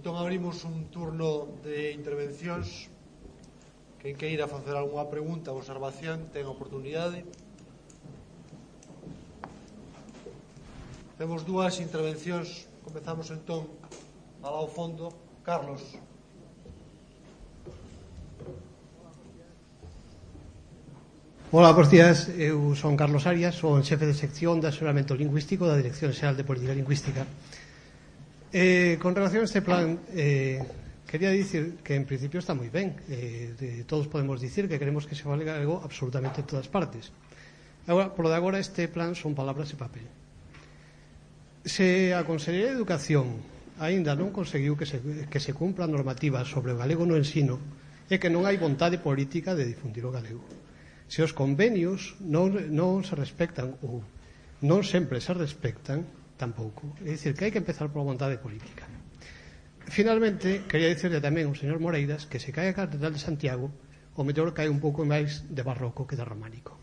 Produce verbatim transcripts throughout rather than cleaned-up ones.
Entón abrimos un turno de intervencións. Quen queira facer algunha pregunta ou observación ten oportunidade. Temos dúas intervencións. Comezamos entón alá ao fondo. Carlos. Hola, bons días. Eu son Carlos Arias, son xefe de sección de asesoramento lingüístico da Dirección Xeral de Política Lingüística. Eh, con relación a este plan, eh, quería dicir que en principio está moi ben. Eh, de, todos podemos dicir que queremos que se fale galego absolutamente en todas partes. Agora, por lo de agora, este plan son palabras e papel. Se a Consellería de Educación aínda non conseguiu que se, que se cumpra a normativa sobre o galego no ensino, é que non hai vontade política de difundir o galego. Se os convenios non, non se respectan ou non sempre se respectan, tampouco. É dicir, que hai que empezar por vontade política. Finalmente, quería dicirle tamén ao señor Moreiras que se cae a Catedral de Santiago, o mellor cae un pouco máis de barroco que de románico.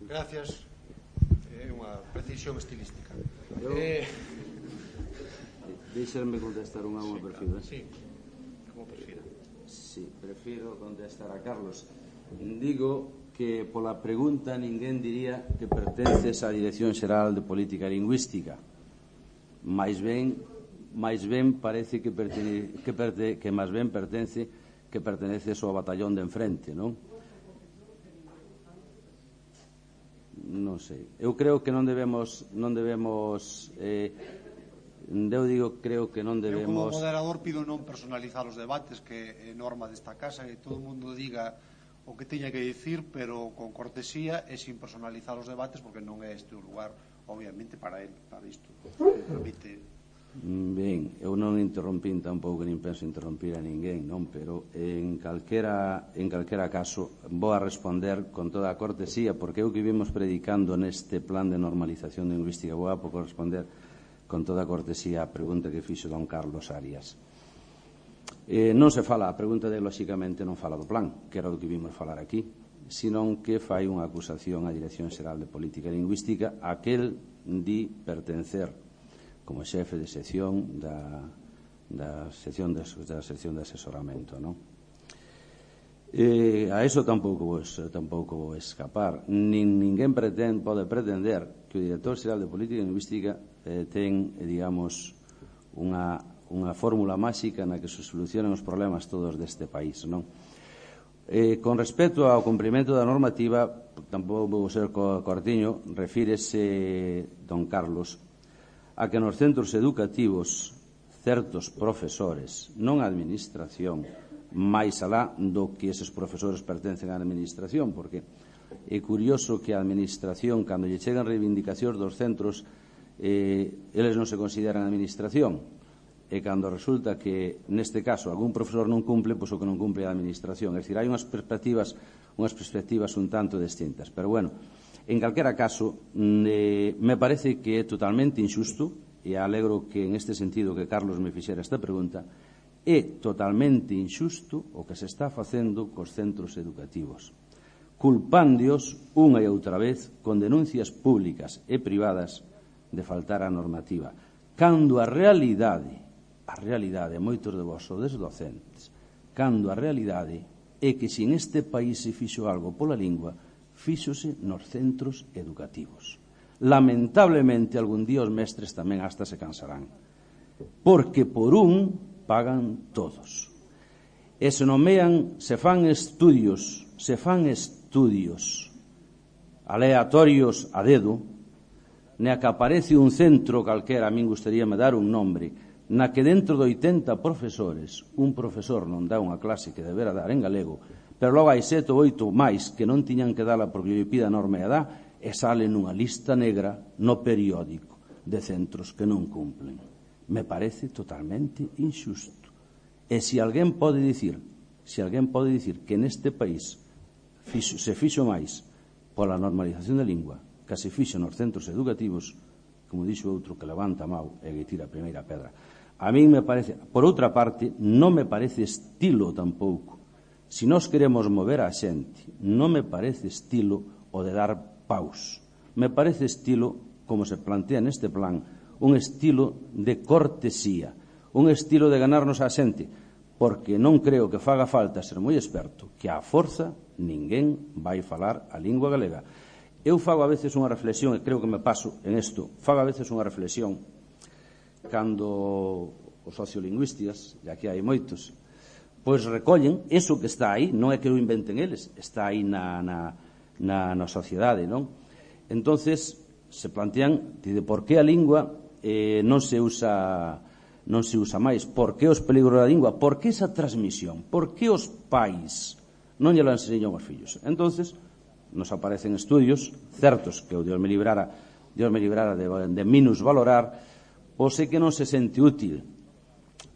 Gracias. É unha precisión estilística. Eu... Eh... Deixarme contestar unha unha perfil. Sí, como prefira. Sí, prefiro contestar a Carlos. Digo que pola pregunta ninguén diría que pertences á Dirección Xeral de Política Lingüística. Mais ben, mais ben parece que, pertene, que, perte, que máis ben pertence que perteneces ao batallón de enfrente, non? Non sei. Eu creo que non debemos non debemos eh, eu digo, creo que non debemos... Eu como moderador pido non personalizar os debates, que é norma desta casa, que todo o mundo diga o que teña que dicir, pero con cortesía e sin personalizar os debates, porque non é este o lugar, obviamente, para él, para isto. Permite... Ben, eu non interrompín tampouco, nin penso interrompir a ninguén, non? Pero en calquera, en calquera caso vou a responder con toda a cortesía, porque eu que vimos predicando neste plan de normalización lingüística, vou a pouco responder con toda a cortesía a pregunta que fixo don Carlos Arias. Eh, non se fala, a pregunta de lóxicamente non fala do plan, que era do que vimos falar aquí, senón que fai unha acusación á Dirección Xeral de Política Lingüística, aquel di pertencer como xefe de sección da, da, sección de, da sección de asesoramento, non? Eh, a eso tampouco vou, tampouco vou escapar. Nin ninguén pretende, pode pretender que o Director Xeral de Política Lingüística eh, ten, eh, digamos, unha, unha fórmula máxica na que se solucionan os problemas todos deste país, non? Eh, con respecto ao cumprimento da normativa, tampouco vou ser cortiño, refírese don Carlos a que nos centros educativos certos profesores, non a administración, máis alá do que eses profesores pertencen á administración, porque é curioso que a administración, cando lle chegan reivindicacións dos centros, eh, eles non se consideran administración, e cando resulta que neste caso algún profesor non cumple, pois o que non cumple é a administración. É dicir, hai unhas perspectivas unhas perspectivas un tanto distintas, pero bueno, en calquera caso eh, me parece que é totalmente injusto, e alegro que en este sentido que Carlos me fixera esta pregunta, é totalmente injusto o que se está facendo cos centros educativos, culpándoos unha e outra vez con denuncias públicas e privadas de faltar a normativa, cando a realidade a realidade, moitos de vós sodes docentes, cando a realidade é que se neste país se fixo algo pola lingua, fíxose nos centros educativos. Lamentablemente, algún día os mestres tamén hasta se cansarán, porque por un pagan todos. E se nomean, se fan estudios, se fan estudios aleatorios a dedo, na que aparece un centro calquera, a min gustaríame dar un nombre, na que dentro de oitenta profesores un profesor non dá unha clase que debera dar en galego, pero logo hai sete ou oito máis que non tiñan que dala porque lle pida a norma e dá, e sale nunha lista negra no periódico de centros que non cumplen. Me parece totalmente injusto. E se alguén pode dicir, se alguén pode dicir que neste país fixo, se fixo máis pola normalización da lingua que se fixo nos centros educativos, como dixo outro que levanta a mão e que tira a primeira pedra. A mí me parece, por outra parte, non me parece estilo tampouco. Se nós queremos mover a xente, non me parece estilo o de dar paus. Me parece estilo, como se plantea neste plan, un estilo de cortesía, un estilo de ganarnos a xente, porque non creo que faga falta ser moi experto, que á forza ninguén vai falar a lingua galega. Eu fago a veces unha reflexión, e creo que me paso en isto, fago a veces unha reflexión cando os sociolingüistas, e aquí hai moitos, pois recollen eso que está aí, non é que o inventen eles, está aí na, na, na, na sociedade, non? Entonces se plantean de por que a lingua eh, non se usa non se usa máis, por que os peligros da lingua, por que esa transmisión, por que os pais non lle la enseñan aos fillos. Entonces nos aparecen estudios certos que o Dios me librara Dios me librara de, de minusvalorar, pois é que non se sente útil.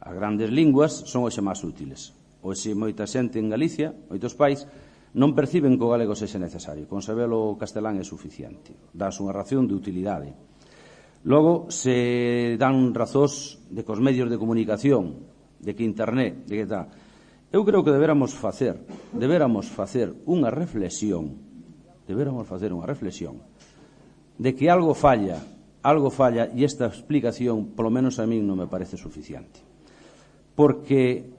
As grandes linguas son hoxe máis útiles. Hoxe moita xente en Galicia, moitos pais, non perciben que o galego sexa necesario. Con sabelo o castelán é suficiente. Das unha razón de utilidade. Logo, se dan razóns de que os medios de comunicación, de que internet, de que tal. Eu creo que deberamos facer, deberamos facer unha reflexión, deberamos facer unha reflexión de que algo falla, algo falla, e esta explicación, polo menos a min, non me parece suficiente. Porque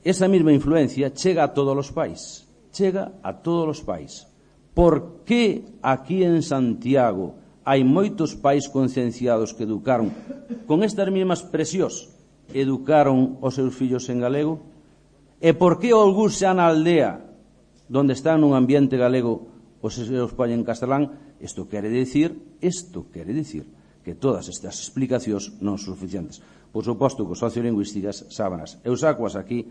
esa mesma influencia chega a todos os pais, chega a todos os pais. Por que aquí en Santiago hai moitos pais concienciados que educaron con estas mesmas expresións, educaron os seus fillos en galego? E por que algúns xa na aldea donde están nun ambiente galego os seus pais en castelán? Isto quere dicir, isto quere dicir que todas estas explicacións non son suficientes. Por suposto que os sociolingüísticas sábanas. Eu sacoas aquí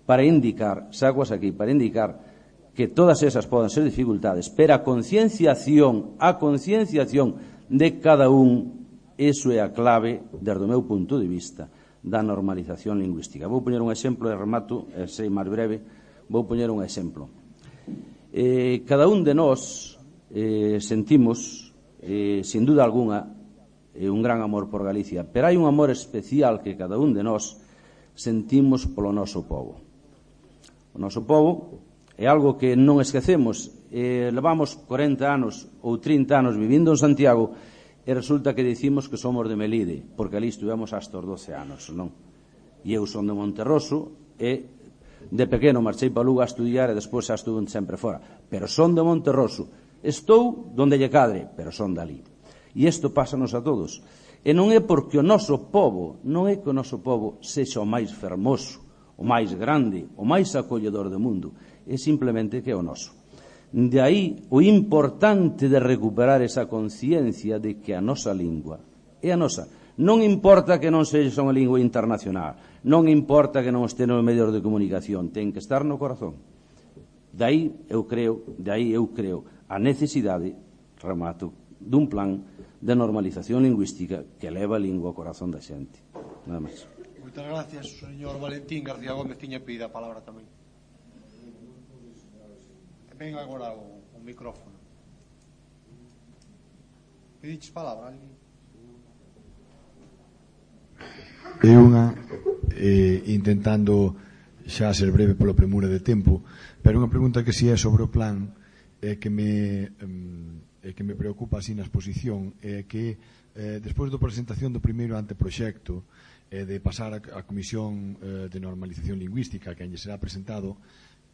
para indicar, sacoas aquí para indicar que todas esas poden ser dificultades, pero a concienciación, a concienciación de cada un, eso é a clave, desde o meu punto de vista, da normalización lingüística. Vou poñer un exemplo e remato, e sei máis breve, vou poñer un exemplo. Eh, cada un de nós eh, sentimos, eh, sin duda alguna, eh, un gran amor por Galicia, pero hai un amor especial que cada un de nós sentimos polo noso povo. O noso povo é algo que non esquecemos. Eh, levamos corenta anos ou trinta anos vivindo en Santiago e resulta que dicimos que somos de Melide, porque ali estuvemos hasta os doce anos, non? E eu son de Monterroso e de pequeno marchei para Lugo a estudiar e despois xa estuve sempre fora. Pero son de Monterroso. Estou donde lle cadre, pero son dali. E isto pásanos a todos. E non é porque o noso povo, non é que o noso povo sexa o máis fermoso, o máis grande, o máis acolledor do mundo. É simplemente que é o noso. De aí o importante de recuperar esa conciencia de que a nosa lingua é a nosa. Non importa que non sexa unha lingua internacional, non importa que non este nos medios de comunicación, ten que estar no corazón. De aí eu creo, de aí eu creo a necesidade, remato, dun plan de normalización lingüística que leva a lingua ao corazón da xente. Nada máis. Moitas gracias, señor Valentín García Gómez. Tiña pedido a palabra tamén. Ven agora o, o micrófono. Pediches palabra, alguén? É unha eh, intentando xa ser breve polo premura de tempo, pero unha pregunta que si é sobre o plan eh, que me eh, que me preocupa así na exposición é eh, que eh, despois da presentación do primeiro anteproxecto eh, de pasar a, a Comisión eh, de Normalización Lingüística que lle será presentado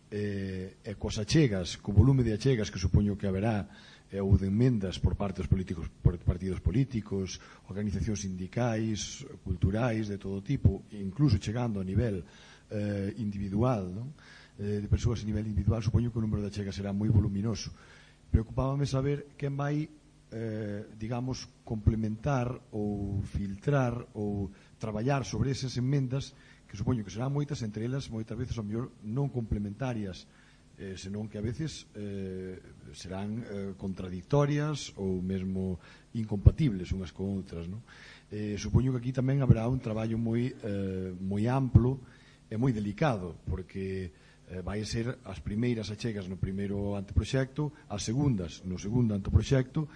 eh, e cos achegas, co volume de achegas que supoño que haberá eh, ou de enmendas por parte dos políticos, por partidos políticos, organizacións sindicais, culturais de todo tipo, incluso chegando a nivel eh, individual, non? Eh, de persoas a nivel individual, supoño que o número de achegas será moi voluminoso. Preocupábame saber quen vai eh, digamos, complementar ou filtrar ou traballar sobre esas enmendas que supoño que serán moitas, entre elas moitas veces ao mellor non complementarias, eh, senón que a veces eh, serán eh, contradictorias ou mesmo incompatibles unhas con outras, non? Eh, supoño que aquí tamén haberá un traballo moi eh, moi amplo e moi delicado, porque eh, vai ser as primeiras achegas no primeiro anteproxecto, as segundas no segundo anteproxecto.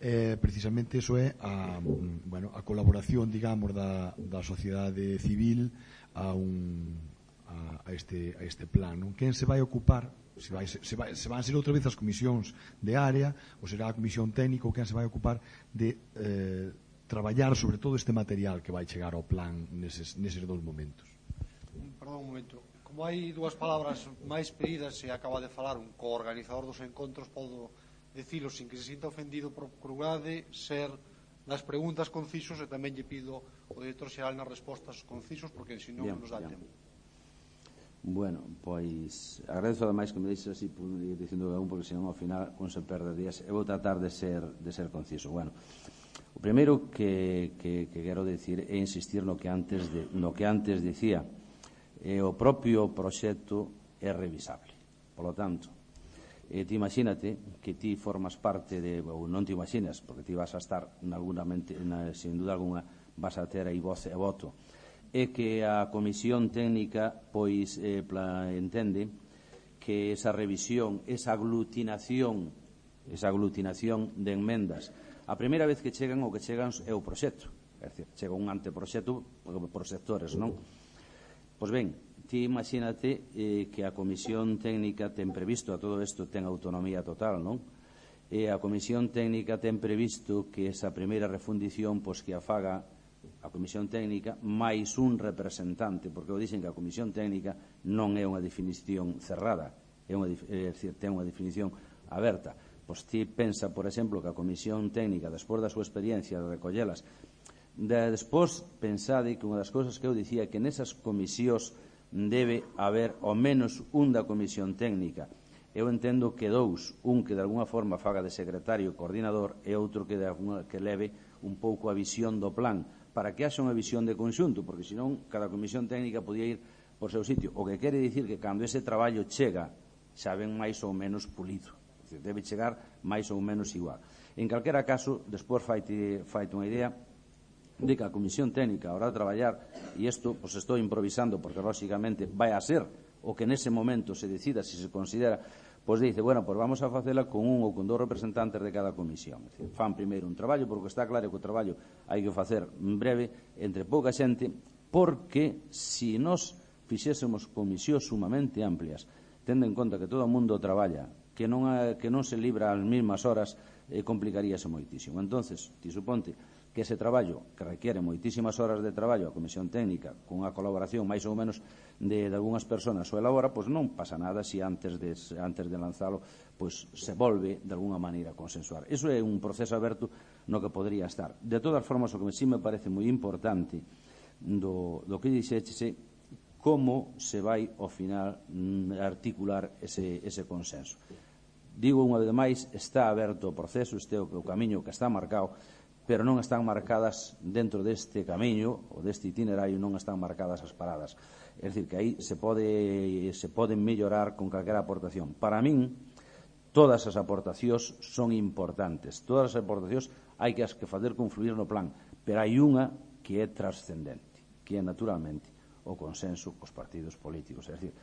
Eh, precisamente eso é a, bueno, a colaboración, digamos, da, da sociedade civil a, un, a, a, este, a este plan, non? Quen se vai ocupar, se, vai, se, vai, se van ser outra vez as comisións de área ou será a comisión técnica, ou quen se vai ocupar de eh, traballar sobre todo este material que vai chegar ao plan neses, neses dous momentos. Perdón un momento. Como hai dúas palabras máis pedidas e acaba de falar un coorganizador dos encontros, podo decilo sin que se sinta ofendido, procurade ser nas preguntas concisos e tamén lle pido ao director xeral nas respostas concisos porque senón non nos dá tempo. Bueno, pois agradezo ademais que me deixes así dicindo un porque senón ao final con se perde días. Eu vou tratar de ser, de ser conciso. Bueno, o primeiro que, que, que quero decir é insistir no que antes, de, no que antes dicía. E o propio proxecto é revisable. Por lo tanto, eh, ti imagínate que ti formas parte de, ou non te imaginas, porque ti vas a estar nalgúnamente, na, sin duda alguna, vas a ter aí voz e voto, e que a Comisión Técnica pois eh, pla, entende que esa revisión, esa aglutinación, esa aglutinación de enmendas, a primeira vez que chegan o que chegan é o proxecto, é dicir, chega un anteproxecto por sectores, non? Pois ben, ti imagínate eh, que a Comisión Técnica ten previsto, a todo isto ten autonomía total, non? E a Comisión Técnica ten previsto que esa primeira refundición pois que a faga a Comisión Técnica máis un representante, porque o dixen que a Comisión Técnica non é unha definición cerrada, é, unha, é dicir, ten unha definición aberta. Pois ti pensa, por exemplo, que a Comisión Técnica, despois da súa experiencia de recollelas, de, despois pensade que unha das cousas que eu dicía que nesas comisións debe haber ao menos un da Comisión Técnica. Eu entendo que dous, un que de alguna forma faga de secretario coordinador e outro que, de alguna, que leve un pouco a visión do plan, para que haxa unha visión de conxunto, porque senón cada Comisión Técnica podía ir por seu sitio. O que quere dicir que cando ese traballo chega xa ven máis ou menos pulido, debe chegar máis ou menos igual. En calquera caso, despois faite, faite unha idea de que a Comisión Técnica a hora de traballar, e isto pues, estou improvisando porque lógicamente vai a ser o que nese momento se decida, se se considera, pois pues dice, bueno, pues vamos a facela con un ou con dous representantes de cada comisión. Es decir, fan primeiro un traballo, porque está claro que o traballo hai que facer en breve, entre pouca xente, porque se nos fixésemos comisións sumamente amplias, tendo en conta que todo o mundo traballa, que non, ha, que non se libra ás mesmas horas, eh, complicaríase moitísimo. Entonces, ti suponte que ese traballo, que requiere moitísimas horas de traballo a Comisión Técnica, con unha colaboración máis ou menos de, de algunhas persoas o elabora, pois non pasa nada se antes de, antes de lanzalo pois se volve de alguna maneira a consensuar. Iso é un proceso aberto no que podría estar. De todas formas, o que sí me parece moi importante do, do que dixeche como se vai ao final articular ese, ese consenso. Digo unha vez máis, está aberto o proceso, este é o, o camiño que está marcado, pero non están marcadas dentro deste camiño ou deste itinerario, non están marcadas as paradas. É dicir, que aí se pode se poden mellorar con calquera aportación. Para min, todas as aportacións son importantes. Todas as aportacións hai que as que fazer confluir no plan, pero hai unha que é trascendente, que é naturalmente o consenso cos partidos políticos. É dicir,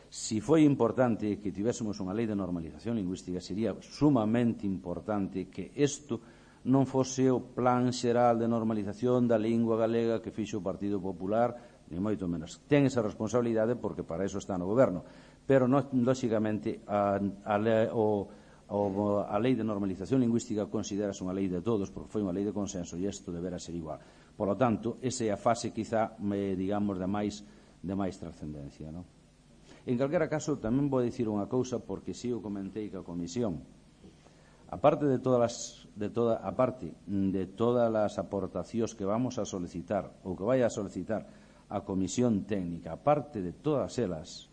si foi importante que tivésemos unha lei de normalización lingüística, sería sumamente importante que isto non fose o plan xeral de normalización da lingua galega que fixo o Partido Popular, ni moito menos. Ten esa responsabilidade porque para eso está no goberno, pero no, lógicamente a, a, o, o, a lei de normalización lingüística considerase unha lei de todos porque foi unha lei de consenso e isto deberá ser igual. Por lo tanto, esa é a fase quizá, me, digamos, de máis, de máis trascendencia, non? En calquera caso, tamén vou dicir unha cousa porque si o comentei que a Comisión, aparte de todas as, de toda, aparte de todas as aportacións que vamos a solicitar ou que vai a solicitar a Comisión Técnica, aparte de todas elas,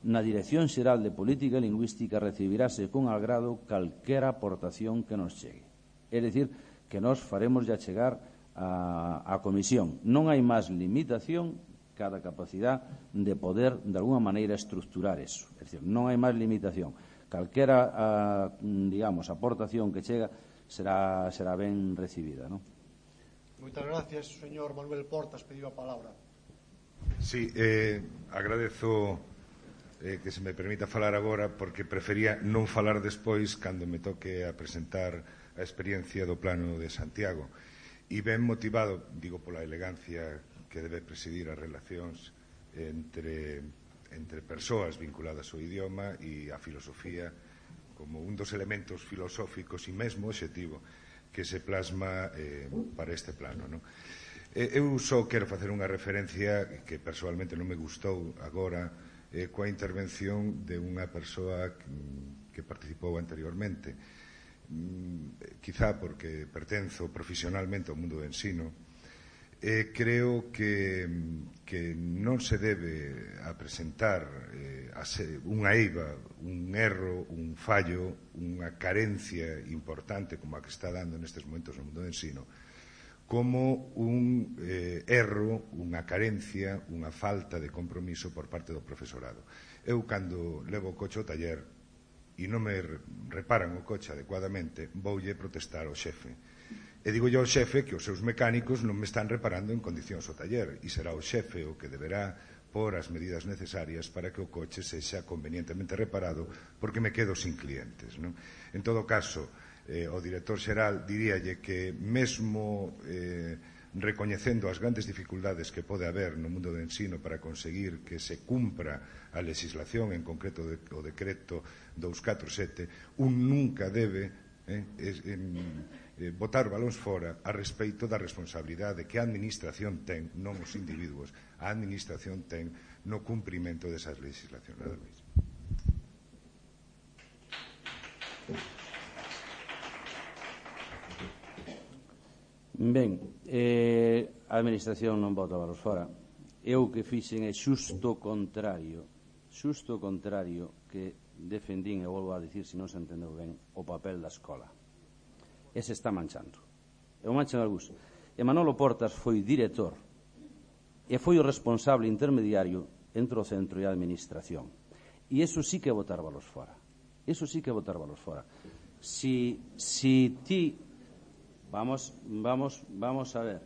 na Dirección Xeral de Política Lingüística recibirase con agrado calquera aportación que nos chegue. É dicir, que nos faremos ya chegar a, a Comisión. Non hai máis limitación cada capacidade de poder, de alguna maneira, estructurar eso. É dicir, non hai máis limitación. Calquera, a, digamos, aportación que chega será, será ben recibida, non? Moitas gracias, señor Manuel Portas, pediu a palabra. Sí, eh, agradezo eh, que se me permita falar agora porque prefería non falar despois cando me toque a presentar a experiencia do plano de Santiago. E ben motivado, digo, pola elegancia que debe presidir as relacións entre... entre persoas vinculadas ao idioma e á filosofía como un dos elementos filosóficos e mesmo obxectivo que se plasma eh, para este plano, non? Eu só quero facer unha referencia que personalmente non me gustou agora eh, coa intervención de unha persoa que, que participou anteriormente. Mm, quizá porque pertenzo profesionalmente ao mundo do ensino, eh, creo que, que non se debe a presentar eh, a se, unha eiva, un erro, un fallo, unha carencia importante como a que está dando nestes momentos no mundo do ensino, como un eh, erro, unha carencia, unha falta de compromiso por parte do profesorado. Eu, cando levo o coche ao taller e non me reparan o coche adecuadamente, voulle protestar ao xefe. E digo yo ao xefe que os seus mecánicos non me están reparando en condicións o taller, e será o xefe o que deberá por as medidas necesarias para que o coche sexa convenientemente reparado, porque me quedo sin clientes, non? En todo caso, Eh, o director xeral diríalle que mesmo eh, recoñecendo as grandes dificultades que pode haber no mundo do ensino para conseguir que se cumpra a legislación, en concreto de, o decreto doscientos catorce sete, un nunca debe eh, es, en, eh, botar balóns fora a respeito da responsabilidade que a administración ten, non os individuos, a administración ten no cumprimento desas legislacións. Nada máis. Ben, eh, a administración non bota balos fora. Eu que fixen é xusto contrario, xusto contrario que defendín, e volvo a dicir, se non se entendeu ben, o papel da escola. Ese está manchando. E o manchan algúns. E Manolo Portas foi director e foi o responsable intermediario entre o centro e a administración. E iso sí que é botar balos fora. Iso sí que é botar balos fora. Si, si ti... Vamos, vamos, vamos a ver.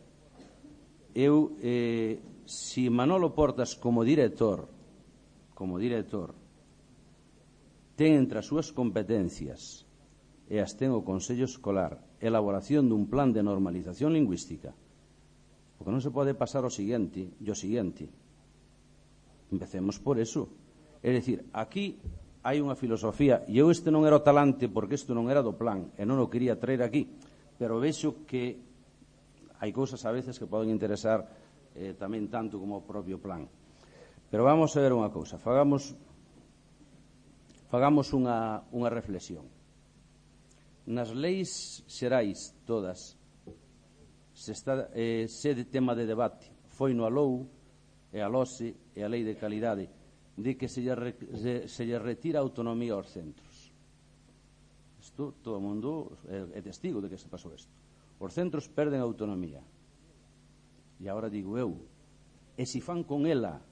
Eu, eh, si Manolo Portas como director, como director, ten entre as súas competencias e as ten o Consello Escolar elaboración dun plan de normalización lingüística, porque non se pode pasar o seguinte, e o seguinte. Empecemos por eso. É dicir, aquí hai unha filosofía, e eu este non era o talante porque isto non era do plan, e non o quería traer aquí, pero vexo que hai cousas a veces que poden interesar eh, tamén tanto como o propio plan. Pero vamos a ver unha cousa, fagamos fagamos unha, unha reflexión. Nas leis xerais todas se está eh, se de tema de debate foi no ALOU e a LOSE e a Lei de Calidade de que se lle, se, se lle retira autonomía aos centros. Isto, todo o mundo é, é testigo de que se pasou isto. Os centros perden autonomía. E agora digo eu, e se fan con ela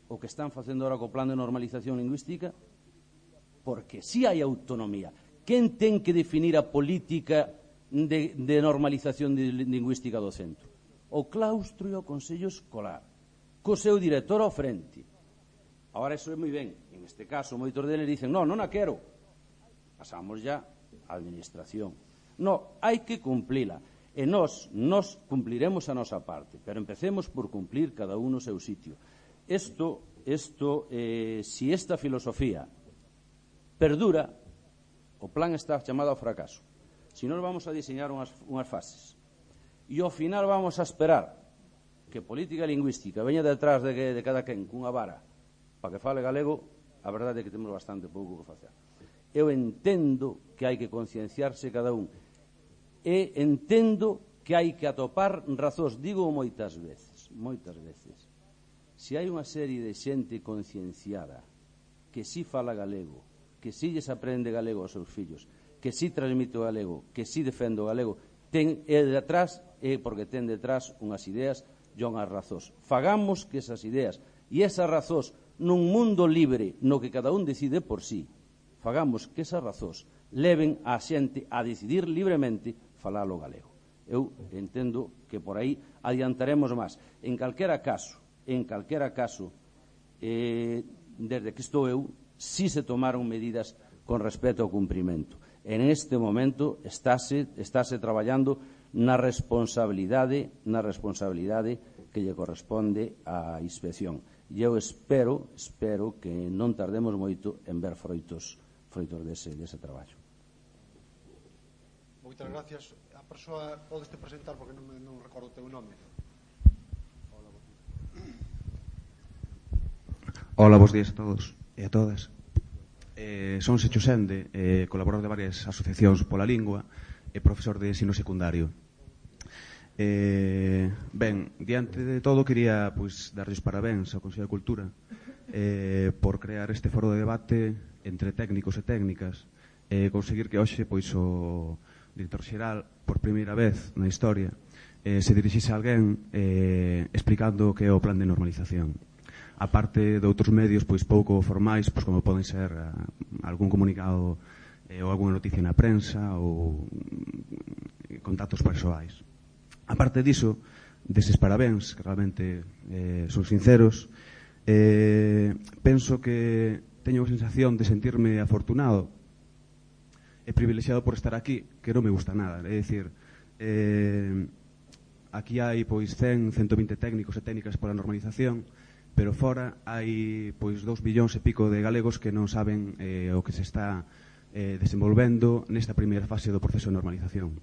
o que están facendo agora co plan de normalización lingüística, porque si hai autonomía. Quen ten que definir a política de, de normalización de lingüística do centro? O claustro e o Consello Escolar, co seu director ao frente. Agora, iso é moi ben. En este caso, moitos deles dicen, non, non a quero. Pasamos ya a administración. No, hai que cumplila. E nós, nós cumpliremos a nosa parte, pero empecemos por cumplir cada uno o seu sitio. Isto, isto eh, si esta filosofía perdura, o plan está chamado ao fracaso. Si non vamos a diseñar unhas, unhas fases. E ao final vamos a esperar que política lingüística veña detrás de, de cada quen cunha vara para que fale galego, a verdade é que temos bastante pouco que facer. Eu entendo que hai que concienciarse cada un. E entendo que hai que atopar razóns. Digo moitas veces, moitas veces. Se hai unha serie de xente concienciada que si fala galego, que si lles aprende galego aos seus fillos, que si transmite o galego, que si defende o galego, ten é detrás, é porque ten detrás unhas ideas e unhas razóns. Fagamos que esas ideas e esas razóns nun mundo libre no que cada un decide por sí, fagamos que esas razóns leven a xente a decidir libremente falar o galego. Eu entendo que por aí adiantaremos máis. En calquera caso, en calquera caso, eh, desde que estou eu, si se tomaron medidas con respecto ao cumprimento. En este momento estáse, estáse traballando na responsabilidade, na responsabilidade que lle corresponde á inspección. E eu espero, espero que non tardemos moito en ver froitos froitos dese, dese traballo. Moitas gracias. A persoa podeste presentar porque non, non recordo o teu nome. Hola, bons días a todos e a todas. Eh, son Secho Sende, eh, colaborador de varias asociacións pola lingua e profesor de ensino secundario. Eh, ben, diante de todo quería pois, darlles parabéns ao Consello de Cultura eh, por crear este foro de debate entre técnicos e técnicas e conseguir que hoxe pois, o director xeral, por primeira vez na historia, eh, se dirixise a alguén eh, explicando o que é o plan de normalización. A parte de outros medios pois pouco formais, pois como poden ser uh, algún comunicado eh, ou algunha noticia na prensa ou mm, contactos persoais. A parte diso, deses parabéns, que realmente eh, son sinceros, eh, penso que teño a sensación de sentirme afortunado e privilexiado por estar aquí, que non me gusta nada. É dicir, eh, aquí hai pois cen, ciento vinte técnicos e técnicas pola normalización, pero fora hai pois dous billóns e pico de galegos que non saben eh, o que se está eh, desenvolvendo nesta primeira fase do proceso de normalización,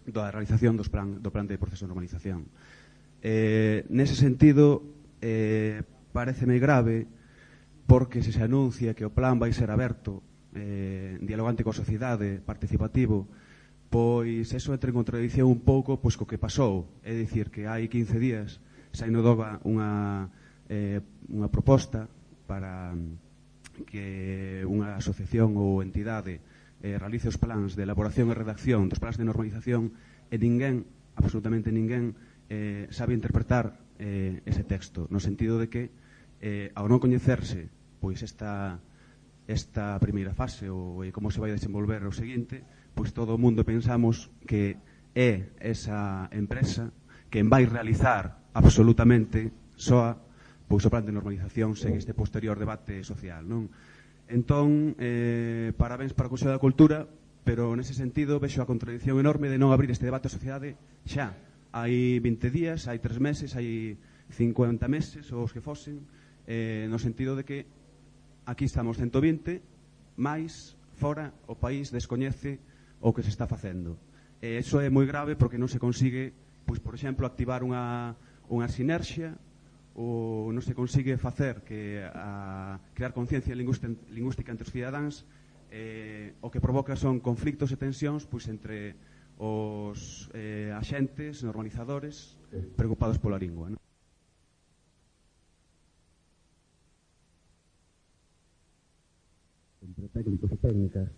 da realización dos plan, do plan de proceso de normalización. Eh, nese sentido, eh, pareceme grave porque se se anuncia que o plan vai ser aberto, eh, dialogante coa sociedade, participativo, pois eso entra en contradición un pouco pois co que pasou. É dicir, que hai quince días saíu no Doga unha Eh, unha proposta para que unha asociación ou entidade eh, realice os plans de elaboración e redacción dos plans de normalización e ninguén, absolutamente ninguén, eh, sabe interpretar eh, ese texto, no sentido de que eh, ao non coñecerse pois esta, esta primeira fase ou eh, como se vai desenvolver o seguinte, pois todo o mundo pensamos que é esa empresa quen vai realizar absolutamente soa pois o plan de normalización sen este posterior debate social, non? Entón, eh, parabéns para o Consello da Cultura, pero nese sentido vexo a contradición enorme de non abrir este debate a sociedade xa. Hai vinte días, hai tres meses, hai cincuenta meses, ou os que fosen, eh, no sentido de que aquí estamos ciento vinte, máis fora o país descoñece o que se está facendo. E iso é moi grave porque non se consigue, pois, por exemplo, activar unha, unha sinerxia, ou non se consigue facer que a crear conciencia lingüística entre os cidadáns, eh, o que provoca son conflictos e tensións pois entre os eh, axentes, normalizadores preocupados pola lingua, non? Entre técnicos e técnicas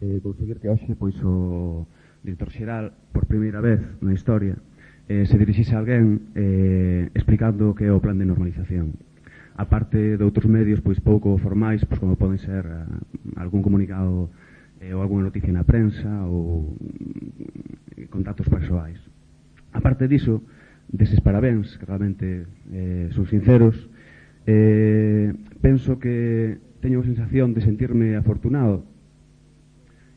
eh, conseguir que hoxe pois o director xeral por primeira vez na historia Eh, se dirixise a alguén eh, explicando o que é o plan de normalización. A parte de outros medios pois pouco formais, pois como poden ser uh, algún comunicado eh, ou algunha noticia na prensa ou mm, contactos persoais. A parte diso, deses parabéns, que realmente eh, son sinceros, eh, penso que teño a sensación de sentirme afortunado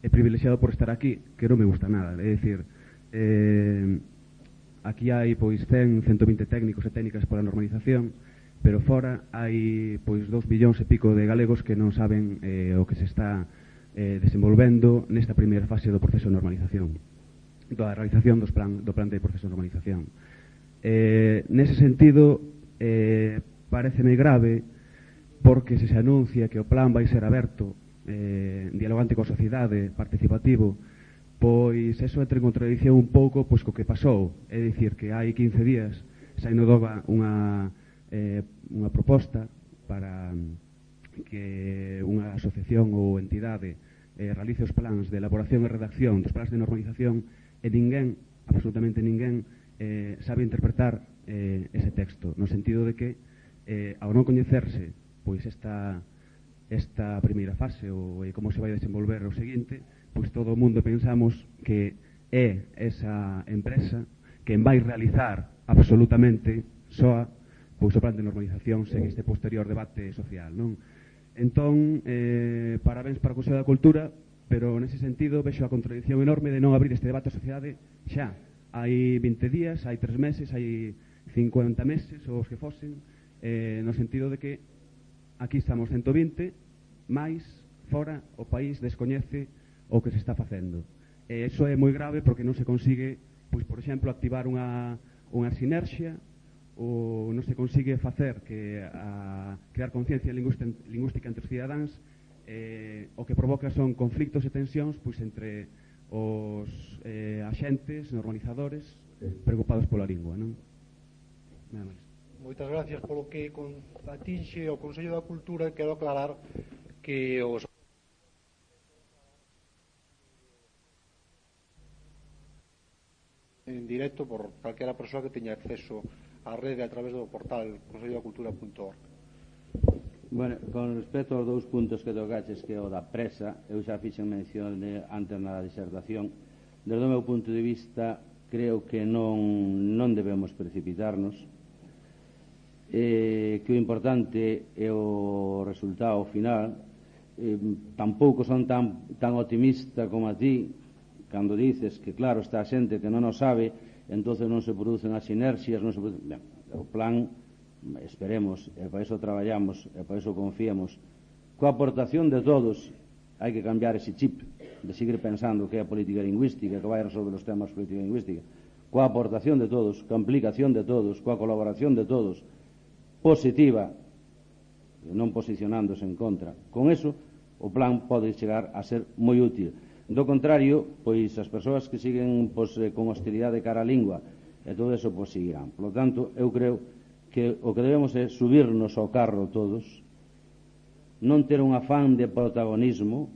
e privilexiado por estar aquí, que non me gusta nada. É dicir, eh, aquí hai pois cen, ciento vinte técnicos e técnicas pola normalización, pero fora hai pois dous billóns e pico de galegos que non saben eh, o que se está eh, desenvolvendo nesta primeira fase do proceso de normalización, da realización dos plan, do plan de proceso de normalización. Eh, nese sentido, eh, pareceme grave porque se se anuncia que o plan vai ser aberto, eh, dialogante coa sociedade, participativo, pois eso entra en contradición un pouco pois co que pasou. É dicir, que hai quince días saíu no Doga unha, eh, unha proposta para que unha asociación ou entidade eh, realice os plans de elaboración e redacción dos plans de normalización e ninguén, absolutamente ninguén, eh, sabe interpretar eh, ese texto, no sentido de que eh, ao non coñecerse pois esta, esta primeira fase ou eh, como se vai desenvolver o seguinte, pois todo o mundo pensamos que é esa empresa quen vai realizar absolutamente soa pois o plan de normalización sen este posterior debate social, non? Entón, eh, parabéns para o Consello da Cultura, pero nese sentido vexo a contradición enorme de non abrir este debate a sociedade xa. Hai vinte días, hai tres meses, hai cincuenta meses, ou os que fosen, eh, no sentido de que aquí estamos ciento vinte, máis fora o país descoñece o que se está facendo. E iso é moi grave porque non se consigue, pois, por exemplo, activar unha, unha sinerxia, ou non se consigue facer que a crear conciencia lingüística entre os cidadáns, eh, o que provoca son conflictos e tensións pois entre os eh, axentes, normalizadores preocupados pola lingua, non? Nada máis. Moitas gracias polo que atinxe o Consello da Cultura. Quero aclarar que os en directo por calquera persoa que teña acceso á rede a través do portal consello da cultura punto org. Bueno, con respecto aos dous puntos que tocaches, que é o da presa, eu xa fixen mención de, antes na disertación. Desde o meu punto de vista, creo que non, non debemos precipitarnos, eh, que o importante é o resultado final. Eh, tampouco son tan, tan optimista como a ti cando dices que, claro, está a xente que non o sabe, entonces non se producen as inercias, non se producen... Ben, o plan, esperemos, e para iso traballamos, e para iso confiamos, coa aportación de todos. Hai que cambiar ese chip de seguir pensando que é a política lingüística que vai resolver os temas de política lingüística. Coa aportación de todos, coa implicación de todos, coa colaboración de todos, positiva, non posicionándose en contra. Con eso, o plan pode chegar a ser moi útil. Do contrario, pois as persoas que siguen pois, con hostilidade cara á lingua e todo eso pois seguirán. Por lo tanto, eu creo que o que debemos é subirnos ao carro todos, non ter un afán de protagonismo,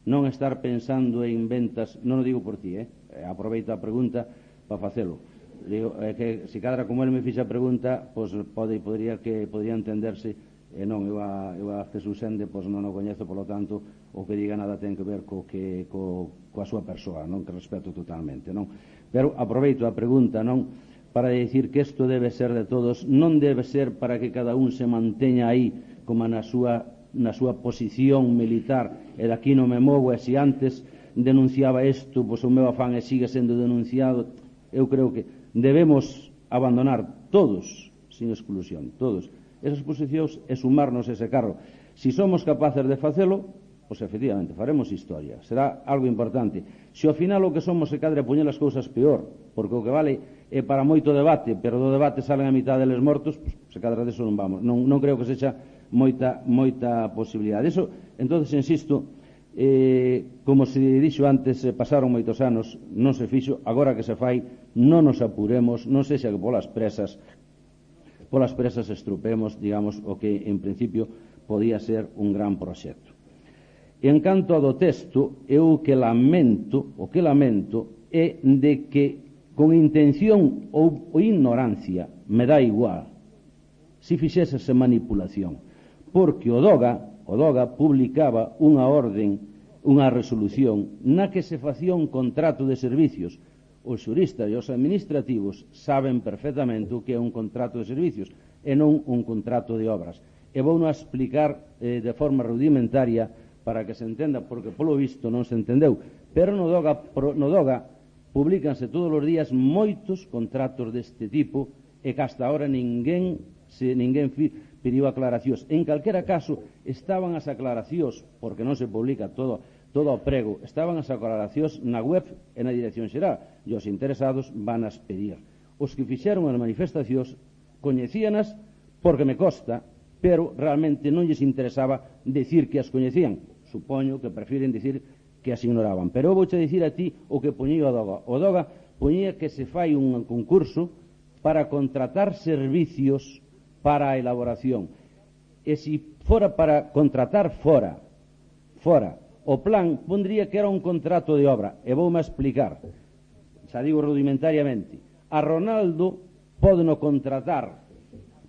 non estar pensando en ventas, non o digo por ti, eh? Aproveito a pregunta para facelo. Digo, é que se cadra como ele me fixa a pregunta, pois pode, podría que podría entenderse, e non, eu a, eu a Jesús Ende pois non o coñezo, por lo tanto o que diga nada ten que ver co que, co, coa súa persoa, non, que respeto totalmente, non? Pero aproveito a pregunta, non, para dicir que isto debe ser de todos, non debe ser para que cada un se manteña aí como na súa, na súa posición militar, e daqui non me movo, e se antes denunciaba isto, pois o meu afán e sigue sendo denunciado. Eu creo que debemos abandonar todos, sin exclusión, todos, esas posicións e sumarnos ese carro. Si somos capaces de facelo, pois efectivamente faremos historia, será algo importante. Se ao final o que somos se cadre poñer as cousas peor, porque o que vale é para moito debate, pero do debate salen a mitad deles mortos, pois, se cadra deso non vamos. Non, non creo que sexa moita, moita posibilidade. Eso, entonces, insisto, eh, como se dixo antes, eh, pasaron moitos anos, non se fixo, agora que se fai, non nos apuremos, non sexa que polas presas, polas presas estrupemos, digamos, o que en principio podía ser un gran proxecto. En canto ao do texto, eu que lamento, o que lamento é de que con intención ou, ou ignorancia, me dá igual, si fixésese manipulación, porque o DOGA, o DOGA publicaba unha orden, unha resolución, na que se facía un contrato de servicios. Os xuristas e os administrativos saben perfectamente o que é un contrato de servicios e non un contrato de obras. E vou non explicar eh, de forma rudimentaria para que se entenda, porque polo visto non se entendeu, pero no DOGA, no DOGA publícanse todos os días moitos contratos deste tipo e que hasta ahora ninguén se ninguén pediu aclaracións. En calquera caso, estaban as aclaracións, porque non se publica todo, todo o prego, estaban as aclaracións na web e na dirección xeral, e os interesados van as pedir. Os que fixeron as manifestacións coñecíanas porque me consta, pero realmente non lles interesaba decir que as coñecían. Supoño que prefiren decir que as ignoraban. Pero eu vouche dicir a ti o que poñía o DOGA. O DOGA poñía que se fai un concurso para contratar servicios para a elaboración. E se fora para contratar fora, fora, o plan pondría que era un contrato de obra. E voume a explicar, xa digo rudimentariamente, a Ronaldo pode no contratar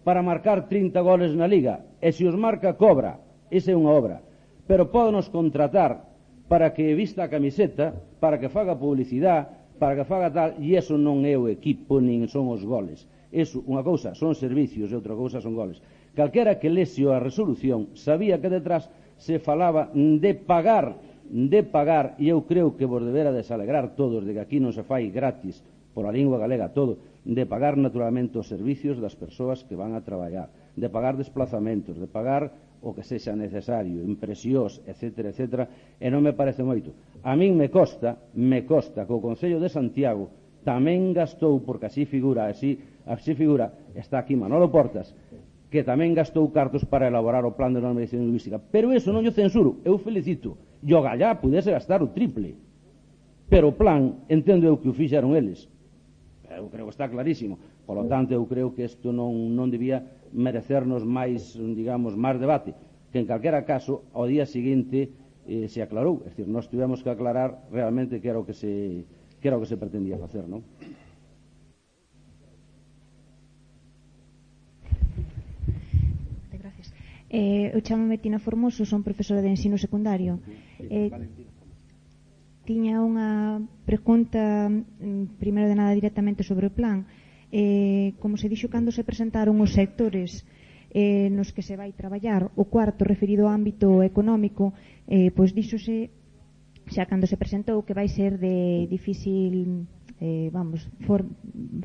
para marcar trinta goles na Liga, e se os marca cobra, esa é unha obra. Pero pódenos contratar para que vista a camiseta, para que faga publicidade, para que faga tal, e eso non é o equipo, nin son os goles. Eso, unha cousa son servicios e outra cousa son goles. Calquera que lese a resolución sabía que detrás se falaba de pagar, de pagar, e eu creo que vos debera desalegrar todos de que aquí non se fai gratis pola lingua galega todo, de pagar naturalmente os servicios das persoas que van a traballar, de pagar desplazamentos, de pagar o que sexa necesario, impresións, etcétera, etcétera, e non me parece moito. A min me costa, me costa que o Concello de Santiago tamén gastou, porque así figura, así, así figura, está aquí Manolo Portas, que tamén gastou cartos para elaborar o plan de normalización lingüística. Pero eso non yo censuro, eu felicito. E o Gallá pudese gastar o triple. Pero o plan, entendo eu que o fixeron eles. Eu creo que está clarísimo. Por lo tanto, eu creo que isto non, non debía merecernos máis, digamos, máis debate. Que en calquera caso, ao día seguinte eh, se aclarou. É dicir, nós tivemos que aclarar realmente que era o que se, que era o que se pretendía facer, non? Eh, eu chamo-me Tina Formoso, son profesora de ensino secundario. Eh, tiña unha pregunta, primeiro de nada, directamente sobre o plan. Eh, como se dixo cando se presentaron os sectores eh, nos que se vai traballar, o cuarto referido ao ámbito económico, eh, pois díxose xa cando se presentou que vai ser de difícil eh, vamos, for,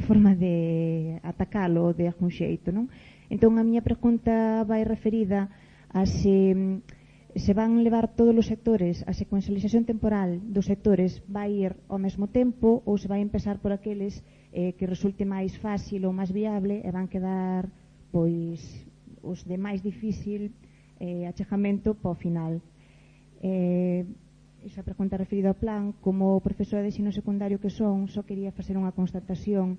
forma de atacalo de algún xeito, non? Entón, a miña pregunta vai referida a se, se van levar todos os sectores, a secuencialización temporal dos sectores vai ir ao mesmo tempo ou se vai empezar por aqueles eh, que resulte máis fácil ou máis viable e van quedar pois os de máis difícil eh, achegamento para o final. Eh, esa pregunta referida ao plan, como profesora de ensino secundario que son, só quería facer unha constatación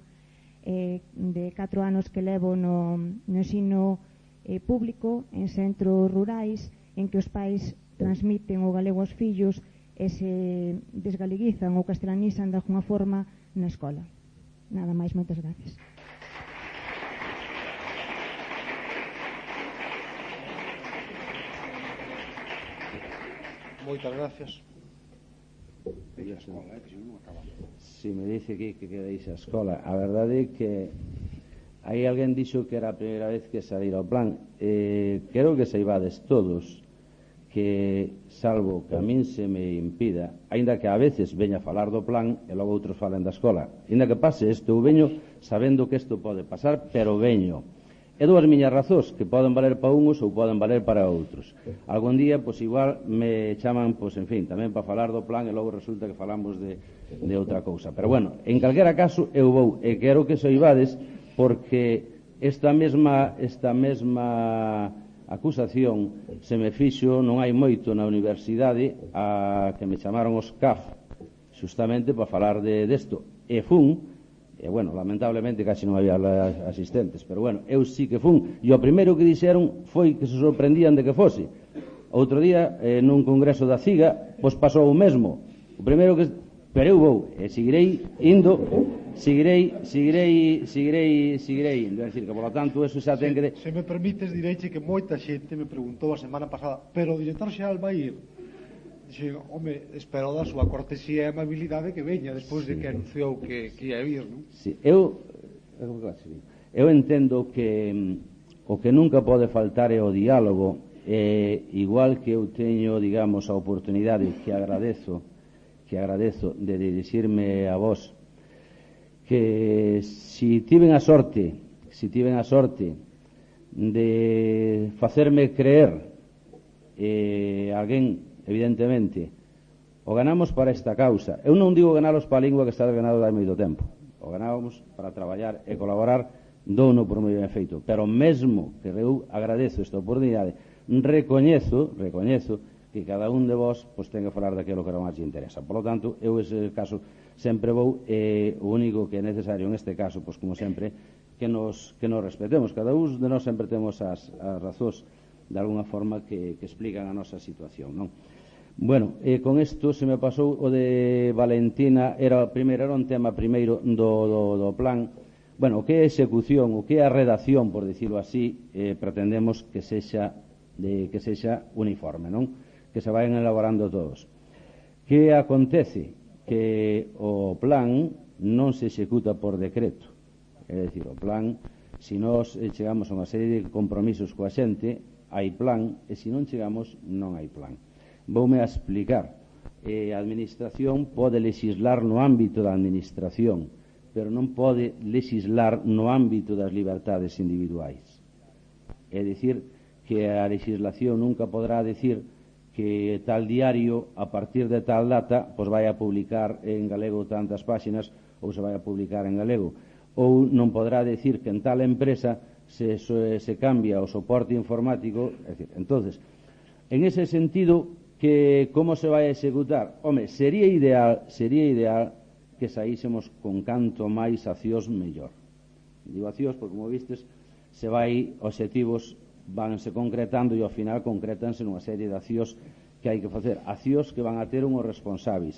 Eh, de catro anos que levo no, no ensino eh, público en centros rurais en que os pais transmiten o galego aos fillos e se desgaleguizan ou castelanizan de alguna forma na escola. Nada máis, moitas gracias. Moitas gracias. Si me dice que, que queréis a escola, a verdade é que aí alguén dixo que era a primeira vez que salir ao plan. Eh, quero que saibades todos que, salvo que a min se me impida, aínda que a veces veña a falar do plan e logo outros falen da escola, aínda que pase isto, eu veño sabendo que isto pode pasar, pero veño. E dúas miñas razóns que poden valer para uns ou poden valer para outros. Algún día, pois igual me chaman, pois en fin, tamén para falar do plan e logo resulta que falamos de, de outra cousa. Pero bueno, en calquera caso eu vou e quero que soibades porque esta mesma esta mesma acusación se me fixo non hai moito na universidade a que me chamaron os C A F justamente para falar de desto e fun. E, bueno, lamentablemente casi non había asistentes, pero, bueno, eu sí que fun. E o primeiro que dixeron foi que se sorprendían de que fose. Outro día, eh, nun congreso da CIGA, pois pasou o mesmo. O primeiro que... Pero eu vou, e seguirei indo, seguirei, seguirei, seguirei, seguirei indo. É dicir, que, por lo tanto, eso xa ten que... De... Se me permites, direiche que moita xente me preguntou a semana pasada, pero o director xeral vai ir? Dixe, home, espero da súa cortesía e amabilidade que veña despois sí. de que anunciou que, que ia vir, non? Sí, eu eu entendo que o que nunca pode faltar é o diálogo, e igual que eu teño, digamos, a oportunidade que agradezo que agradezo de dirixirme a vos, que si tiven a sorte si tiven a sorte de facerme creer eh, alguén evidentemente, o ganamos para esta causa. Eu non digo ganalos para a lingua que está ganado dai moito tempo. O ganábamos para traballar e colaborar douno por moi ben feito. Pero mesmo que eu agradezo esta oportunidade, recoñezo, recoñezo que cada un de vós pois, ten que falar daquilo que era máis interesa. Por lo tanto, eu ese caso sempre vou, e eh, o único que é necesario en este caso, pois como sempre, que nos, que nos respetemos. Cada un de nós sempre temos as, as razóns de alguna forma que, que explican a nosa situación, non? Bueno, eh, con isto se me pasou o de Valentina, era primeiro era un tema primeiro do, do, do plan. Bueno, o que é execución, o que é a redacción, por dicirlo así, eh, pretendemos que sexa de que sexa uniforme, non? Que se vayan elaborando todos. Que acontece? Que o plan non se executa por decreto. É dicir, o plan, se nós chegamos a unha serie de compromisos coa xente, hai plan, e se non chegamos, non hai plan. Voume a explicar. Eh, a administración pode legislar no ámbito da administración, pero non pode legislar no ámbito das libertades individuais. É dicir, que a legislación nunca podrá decir que tal diario, a partir de tal data, pois vai a publicar en galego tantas páxinas ou se vai a publicar en galego. Ou non podrá decir que en tal empresa se, se, se cambia o soporte informático. É dicir, entonces, en ese sentido, que como se vai a executar? Home, sería ideal, sería ideal que saísemos con canto máis accións mellor. Digo accións porque, como vistes, se vai, obxectivos vanse concretando e ao final concretanse nunha serie de accións que hai que facer, accións que van a ter unhos responsáveis.